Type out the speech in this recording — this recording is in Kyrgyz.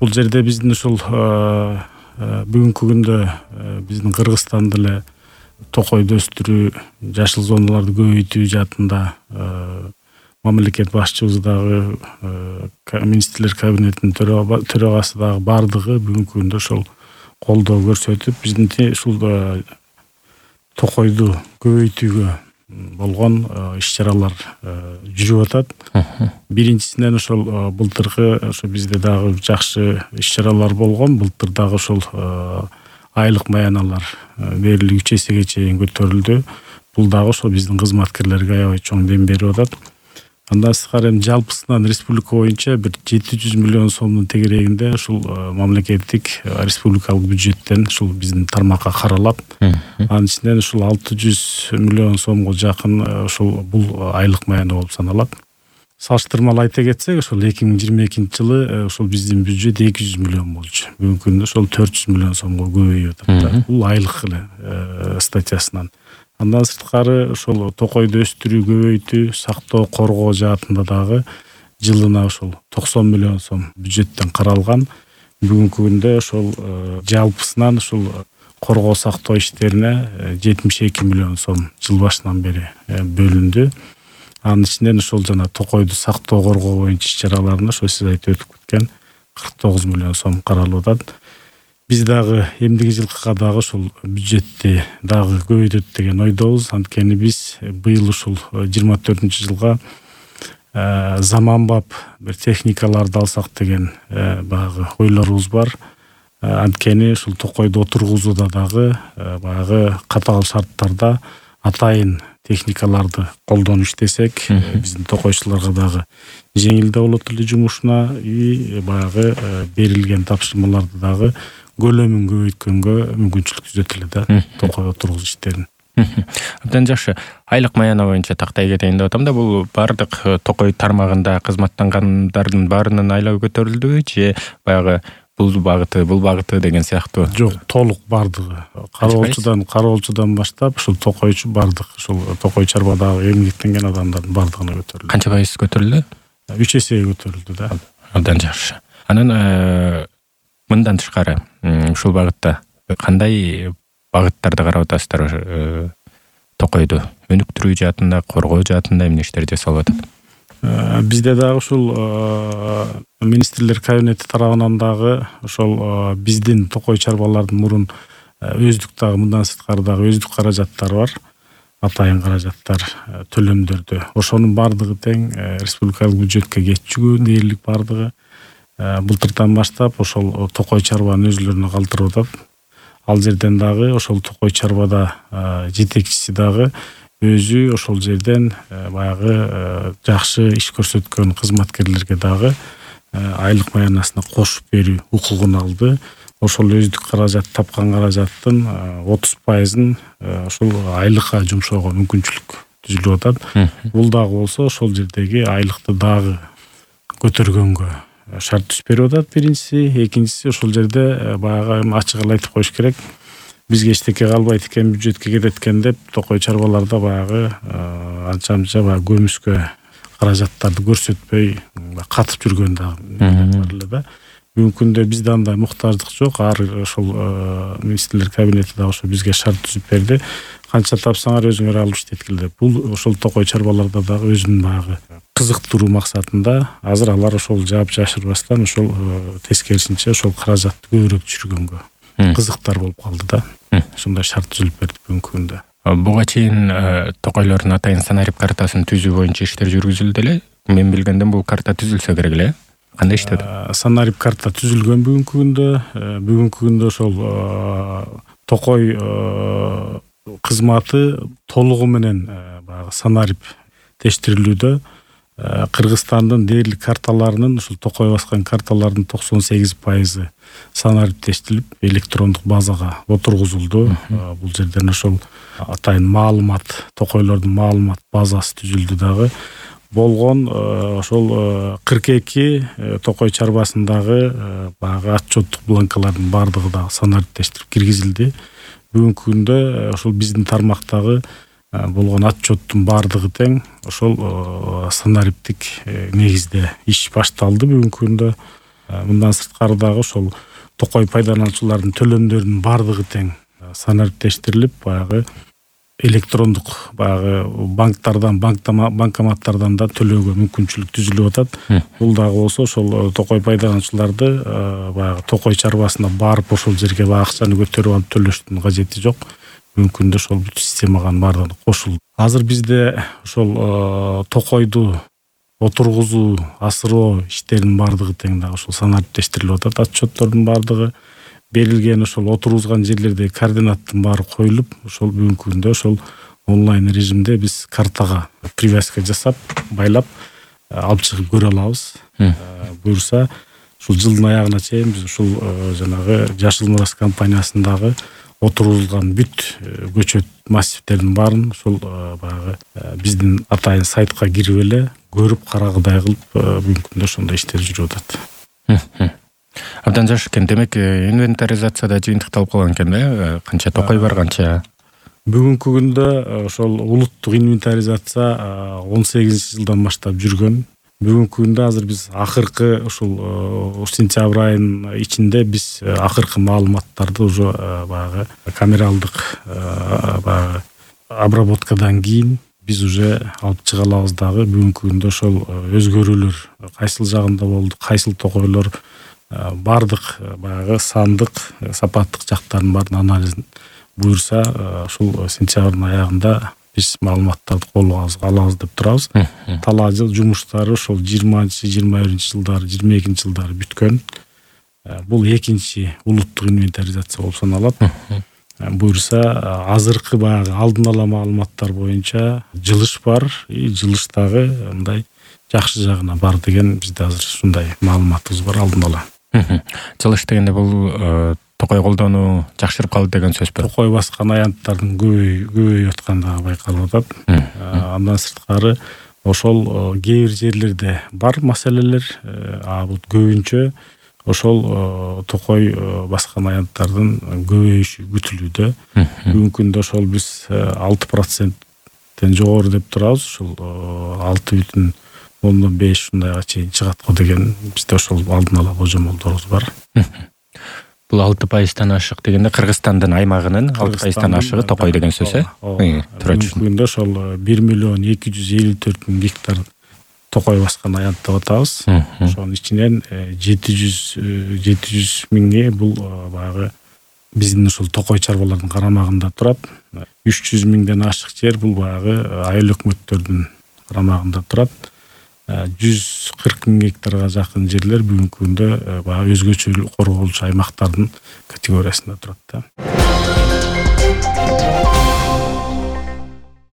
Бул жерде биздин ушул бүгүнкү күндө биздин Кыргызстанда эле токойду өстүрүү, жашыл зоналарды көбөйтүү жаатында мамлекет башчыбыз дагы министрлер кабинетинин төрагасы дагы бардыгы бүгүнкү күндө ошол колдоо көрсөтүп, биздин ушул токойду көбөйтүүгө болгон иш-чаралар жүрүп атат. Биринчисинен ошол былтыркы ошо бизде дагы жакшы иш-чаралар болгон. Былтыр дагы ошол айлык маяналар дээрлик 3 эсеге чейин көтөрүлдү. Бул дагы ошол биздин кызматкерлерге аябай чоң дем берип атат. Андан сырткары жалпысынан республика боюнча бир 700 миллион сомдун тегерегинде ушул мамлекеттик республикалык бюджеттен ушул биздин тармакка каралат. Анын ичинен ушул 600 миллион сомго жакын ушул бул айлык маяна болуп саналат. Салыштырмалуу айта кетсек, ошол 2022-жылы ошол биздин бюджет 200 миллион болчу. Бүгүнкү күндө ошол 400 миллион сомго көбөйүп атат. Бул айлык эле статьясынан. Андан сырткары ошол токойду өстүрүү, көбөйтүү, сактоо, коргоо жаатында дагы жылына ошол 90 миллион сом бюджеттен каралган. Бүгүнкү күндө ошол жалпысынан ушул коргоо сактоо иштерине 72 миллион сом жыл башынан бери бөлүндү. Анын ичинен ошол жана токойду сактоо, коргоо боюнча иш-чараларына ошо сиз айтып өтүп кеткен 49 миллион сом каралып атат. Биз дагы эмдиги жылкыга дагы ушул бюджетти дагы көбөйтөт деген ойдобуз. Анткени биз быйыл ушул 24-жылга заманбап бир техникаларды алсак деген баягы ойлорубуз бар. Анткени ушул токойду отургузууда дагы баягы катаал шарттарда атайын техникаларды колдонуп иштесек, биздин токойчуларга дагы жеңилдүү болот эле жумушуна, баягы берилген тапшырмаларды дагы көлөмүн көбөйткөнгө мүмкүнчүлүк түзөт эле да, токой отургузуу иштерин. Абдан жакшы. Айлык маяна боюнча тактай кетейин деп атам да, бул бардык токой тармагында кызматтангандардын баарынын айлабы көтөрүлдүбү же баягы бул багыты деген сыяктуу? Жок, толук бардыгы. Кароолчудан баштап ушул токойчу бардык ушул токой чарбадагы эмгектенген адамдардын бардыгына көтөрүлдү. Канча пайыз көтөрүлдү? 3 эсеге көтөрүлдү да. Абдан жакшы. Анан мындан тышкары ушул багытта кандай багыттарды карап атасыздар? Токойду өнүктүрүү жаатында, коргоо жаатында эмне иштер жасалып атат? Бизде дагы ушул министрлер кабинети тарабынан дагы ошол биздин токой чарбалардын мурун өздүк дагы мындан сырткары дагы өздүк каражаттар бар. Атайын каражаттар төлөмдөрдө. Ошонун бардыгы тең республикалык бюджетке кетчүгү дээрлик бардыгы былтырдан баштап ошол токой чарбанын өзүлөрүнө калтырып атат. Ал жерден дагы ошол токой чарбада жетекчиси дагы өзү ошол жерден баягы жакшы иш көрсөткөн кызматкерлерге дагы айлык маянасына кошуп берүү укугун алды. Ошол өздүк каражат тапкан каражаттын 30%-ын ошол айлыкка жумшоого мүмкүнчүлүк түзүлүп атат. Бул дагы болсо ошол жердеги айлыкты дагы көтөргөнгө шарт түзүп берип атат биринчиси. Экинчиси ошол жерде баягы ачык эле айтып коюш керек. Бизге эчтеке калбайт экен, бюджетке кетет экен деп токой чарбаларда баягы анча-мынча баягы көмүскө каражаттарды көрсөтпөй катып жүргөн дагы бар эле да. Бүгүнкү күндө бизде андай муктаждык жок. Ар ошол министрлер кабинети дагы ошо бизге шарт түзүп берди. Канча тапсаңар өзүңөр алып иштеткил деп. Бул ошол токой чарбаларда дагы өзүнүн баягы кызыктыруу максатында азыр алар ошол жаап жашырбастан ошол тескерисинче ошол каражатты көбүрөөк түшүргөнгө кызыктар болуп калды да. Ошондой шарт түзүлүп берди бүгүнкү күндө. Буга чейин токойлордун атайын санарип картасын түзүү боюнча иштер жүргүзүлдү эле. Мен билгенден бул карта түзүлсө керек эле. Кандай иштеди? Санарип карта түзүлгөн бүгүнкү күндө. Бүгүнкү күндө ошол токой кызматы толугу менен баягы санарип тештирилүүдө. Кыргызстандын дээрлик карталарынын ушул токой баскан карталардын 98% санарип тештилип электрондук базага отургузулду. Бул жерден ошол атайын маалымат, токойлордун маалымат базасы түзүлдү дагы. Болгон ошол 42 токой чарбасындагы баягы отчеттук бланкалардын бардыгы дагы санарип тештирип киргизилди. Бүгүнкү күндө ошол биздин тармактагы болгон отчеттун бардыгы тең ошол санариптик негизде иш башталды бүгүнкү күндө. Мындан сырткары дагы ошол токой пайдалануучулардын төлөмдөрүнүн баардыгы тең санариптештирилип, баягы электрондук баягы банкоматтардан да төлөөгө мүмкүнчүлүк түзүлүп атат. Бул дагы болсо ошол токой пайдалануучуларды баягы токой чарбасына барып ошол жерге акчаны көтөрүп алып төлөштүн кажети жок. Мүмкүндө ошол бүт системага баардыгы кошулду. Азыр бизде ошол токойду отургузуу, асыроо иштеринин баардыгы тең дагы ошол санариптештирилип атат. Отчеттордун баардыгы берилген, ошол отургузган жерлердеги координаттын баары коюлуп, ошол бүгүнкү күндө ошол онлайн режимде биз картага привязка жасап, байлап алып чыгып көрө алабыз. Буюрса, ушул жылдын аягына чейин биз ушул жанагы Жашыл Мурас компаниясындагы отургузулган бүт көчөт массивтердин баарын ушул баягы биздин атайын сайтка кирип эле көрүп карагыдай кылып бүгүнкү күндө ошондой иштер жүрүп атат. Абдан жакшы экен. Демек, инвентаризацияда жыйынтыкталып калган экен да? Канча токой бар, канча? Бүгүнкү күндө ошол улуттук инвентаризация 18-жылдан баштап жүргөн. Бүгүнкү күндө азыр биз акыркы ушул сентябрь айынын ичинде биз акыркы маалыматтарды уже баягы камералдык баягы обработкадан кийин биз уже алып чыга алабыз дагы. Бүгүнкү күндө ошол өзгөрүүлөр кайсыл жагында болду, кайсыл токойлор баардык баягы сандык, сапаттык жактарын баарын анализин буюрса ушул сентябрдын аягында биз маалыматтарды колго алабыз деп турабыз. Талаа жыл жумуштары ошол 20-21 жылдары, 22 жылдары бүткөн. Бул экинчи улуттук инвентаризация болуп саналат. Буюрса азыркы баягы алдын ала маалыматтар боюнча жылыш бар, жылыштагы мындай жакшы жагына бар деген бизде азыр ушундай маалыматыбыз бар алдын ала. Жылыш дегенде бул токой колдонуу жакшырып калды деген сөзбү? Токой баскан аянттардын көбөйүп аткандыгы байкалып атат. Андан сырткары ошол кээ бир жерлерде бар маселелер, бул көбүнчө ошол токой баскан аянттардын көбөйүшү күтүлүүдө. Бүгүнкү күндө ошол биз 6%-тен жогору деп турабыз. Ошол 6,5 ушундайга чейин чыгат го деген бизде ошол алдын ала божомолдорубуз бар. Бул 6%-тан ашык дегенде Кыргызстандын аймагынын 6%-тан ашыгы токой деген сөз, Бүгүнкү күндө ошол 1,254,000 гектар токой баскан аянт деп атабыз. Ошонун ичинен 700 миңи бул баягы биздин ушул токой чарбалардын карамагында турат. 300 миңден ашык жер бул баягы айыл өкмөттөрдүн карамагында турат. 140 миң гектарга жакын жерлер бүгүнкү күндө баягы өзгөчө корголчу аймактардын категориясында турат да.